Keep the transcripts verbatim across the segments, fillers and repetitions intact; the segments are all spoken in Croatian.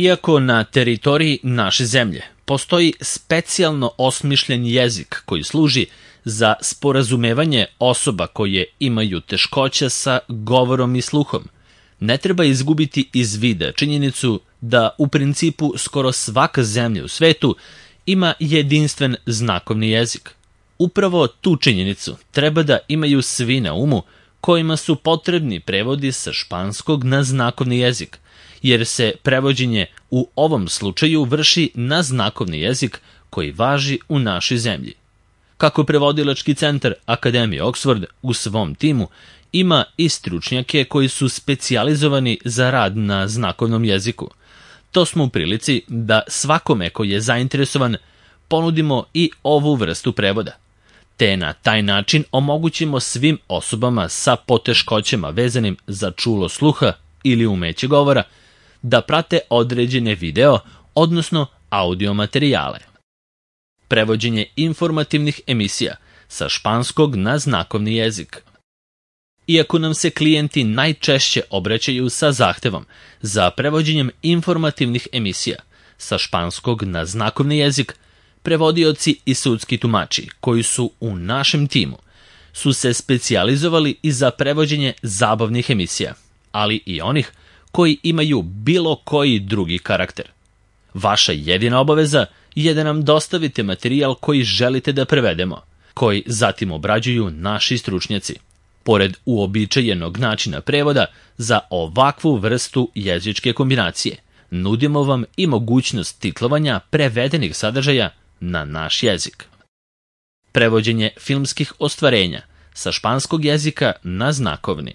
Iako na teritoriji naše zemlje postoji specijalno osmišljen jezik koji služi za sporazumevanje osoba koje imaju teškoća sa govorom i sluhom, ne treba izgubiti iz vida činjenicu da u principu skoro svaka zemlja u svetu ima jedinstven znakovni jezik. Upravo tu činjenicu treba da imaju svi na umu kojima su potrebni prevodi sa španskog na znakovni jezik, jer se prevođenje u ovom slučaju vrši na znakovni jezik koji važi u našoj zemlji. Kako prevodilački centar Akademije Oxford u svom timu ima i stručnjake koji su specijalizovani za rad na znakovnom jeziku, to smo u prilici da svakome ko je zainteresovan ponudimo i ovu vrstu prevoda, te na taj način omogućimo svim osobama sa poteškoćama vezanim za čulo sluha ili umeće govora da prate određene video, odnosno audio materijale. Prevođenje informativnih emisija sa španskog na znakovni jezik. Iako nam se klijenti najčešće obraćaju sa zahtevom za prevođenjem informativnih emisija sa španskog na znakovni jezik, prevodioci i sudski tumači koji su u našem timu su se specijalizovali i za prevođenje zabavnih emisija, ali i onih koji imaju bilo koji drugi karakter. Vaša jedina obaveza je da nam dostavite materijal koji želite da prevedemo, koji zatim obrađuju naši stručnjaci. Pored uobičajenog načina prevoda za ovakvu vrstu jezičke kombinacije, nudimo vam i mogućnost titlovanja prevedenih sadržaja na naš jezik. Prevođenje filmskih ostvarenja sa španskog jezika na znakovni.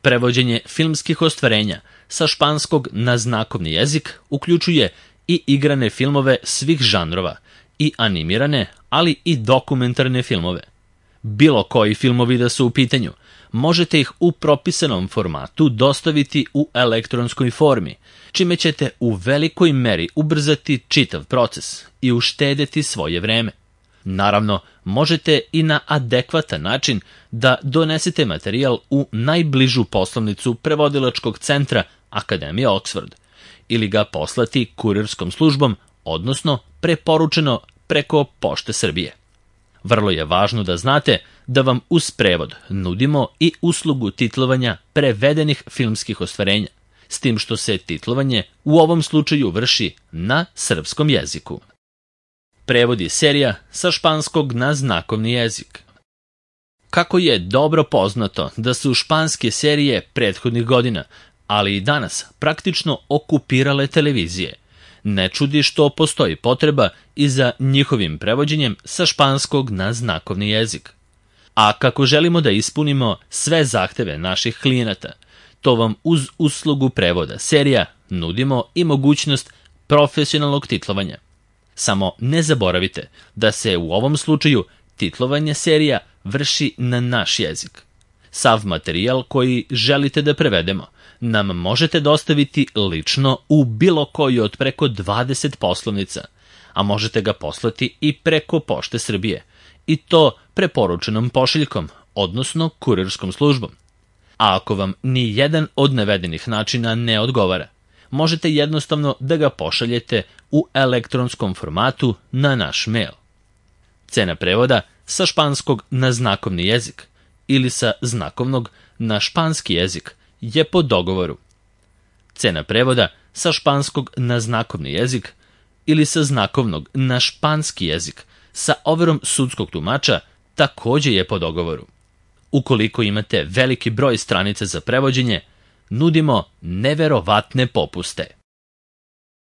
Prevođenje filmskih ostvarenja sa španskog na znakovni jezik uključuje i igrane filmove svih žanrova, i animirane, ali i dokumentarne filmove. Bilo koji filmovi da su u pitanju, možete ih u propisanom formatu dostaviti u elektronskoj formi, čime ćete u velikoj meri ubrzati čitav proces i uštedeti svoje vreme. Naravno, možete i na adekvatan način da donesete materijal u najbližu poslovnicu prevodilačkog centra Akademije Oxford ili ga poslati kurirskom službom, odnosno preporučeno preko Pošte Srbije. Vrlo je važno da znate da vam uz prevod nudimo i uslugu titlovanja prevedenih filmskih ostvarenja, s tim što se titlovanje u ovom slučaju vrši na srpskom jeziku. Prevodi serija sa španskog na znakovni jezik. Kako je dobro poznato da su španske serije prethodnih godina, ali i danas praktično okupirale televizije, ne čudi što postoji potreba i za njihovim prevođenjem sa španskog na znakovni jezik. A kako želimo da ispunimo sve zahteve naših klijenata, to vam uz uslugu prevoda serija nudimo i mogućnost profesionalnog titlovanja. Samo ne zaboravite da se u ovom slučaju titlovanje serija vrši na naš jezik. Sav materijal koji želite da prevedemo nam možete dostaviti lično u bilo koji od preko dvadeset poslovnica, a možete ga poslati i preko Pošte Srbije, i to preporučenom pošiljkom, odnosno kurirskom službom. A ako vam ni jedan od navedenih načina ne odgovara, možete jednostavno da ga pošaljete u elektronskom formatu na naš mail. Cena prevoda sa španskog na znakovni jezik ili sa znakovnog na španski jezik je po dogovoru. Cena prevoda sa španskog na znakovni jezik ili sa znakovnog na španski jezik sa overom sudskog tumača takođe je po dogovoru. Ukoliko imate veliki broj stranica za prevođenje, nudimo neverovatne popuste.